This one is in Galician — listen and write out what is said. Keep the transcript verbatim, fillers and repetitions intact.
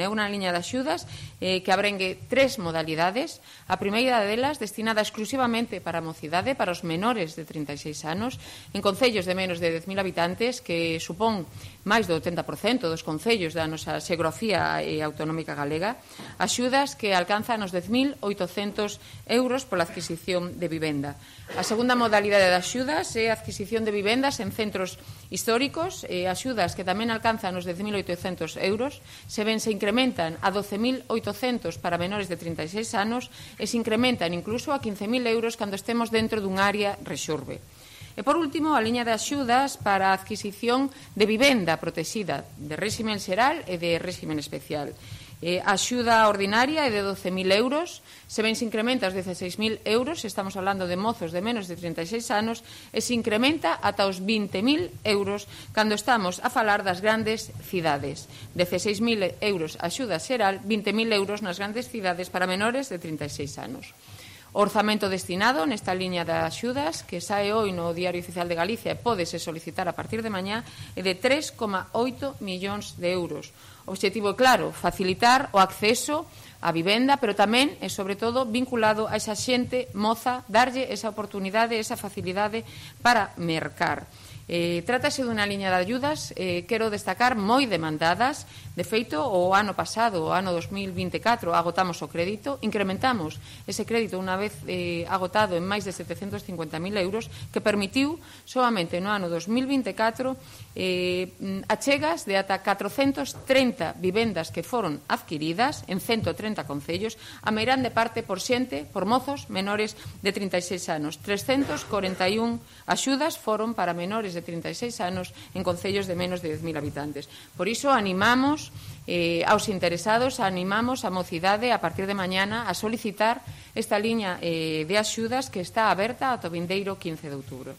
É unha liña de axudas eh, que abrengue tres modalidades. A primeira delas destinada exclusivamente para a mocidade, para os menores de trinta e seis anos, en concellos de menos de dez mil habitantes, que supón máis do oitenta por cento dos concellos da nosa xeografía e autonómica galega, axudas que alcanzan os dez mil oitocentos euros pola adquisición de vivenda. A segunda modalidade de axudas é a adquisición de vivendas en centros históricos, e axudas que tamén alcanzan os dez mil oitocentos euros, se ben se incrementan a doce mil oitocentos para menores de trinta e seis anos e se incrementan incluso a quince mil euros cando estemos dentro dun área rexurbe. E, por último, a liña de axudas para a adquisición de vivenda protexida de réximen xeral e de réximen especial. Eh, a axuda ordinaria é de doce mil euros, se ben se incrementa aos dezaseis mil euros, estamos falando de mozos de menos de trinta e seis anos, e se incrementa ata os vinte mil euros cando estamos a falar das grandes cidades. dezaseis mil euros a axuda xeral, vinte mil euros nas grandes cidades para menores de trinta e seis anos. O orzamento destinado nesta liña de axudas, que sae hoy no Diario Oficial de Galicia e pódese solicitar a partir de mañá, é de tres coma oito millóns de euros. O obxectivo é claro, facilitar o acceso á vivenda, pero tamén e, sobre todo, vinculado a esa xente moza, darlle esa oportunidade, esa facilidade para mercar. Eh, trátase dunha liña de ayudas, eh, quero destacar, moi demandadas. De feito, o ano pasado, o ano dos mil vinte e catro, agotamos o crédito, incrementamos ese crédito unha vez eh, agotado en máis de setecentos cincuenta mil euros, que permitiu, solamente no ano dos mil vinte e catro, eh, achegas de ata catrocentas trinta vivendas que foron adquiridas en ciento trinta concellos, a meirán de parte por xente, por mozos menores de trinta e seis anos. trescentas corenta e un axudas foron para menores de trinta e seis anos en concellos de menos de dez mil habitantes. Por iso animamos eh, aos interesados, animamos a mocidade a partir de mañana a solicitar esta liña eh, de axudas que está aberta ata o vindeiro quince de outubro.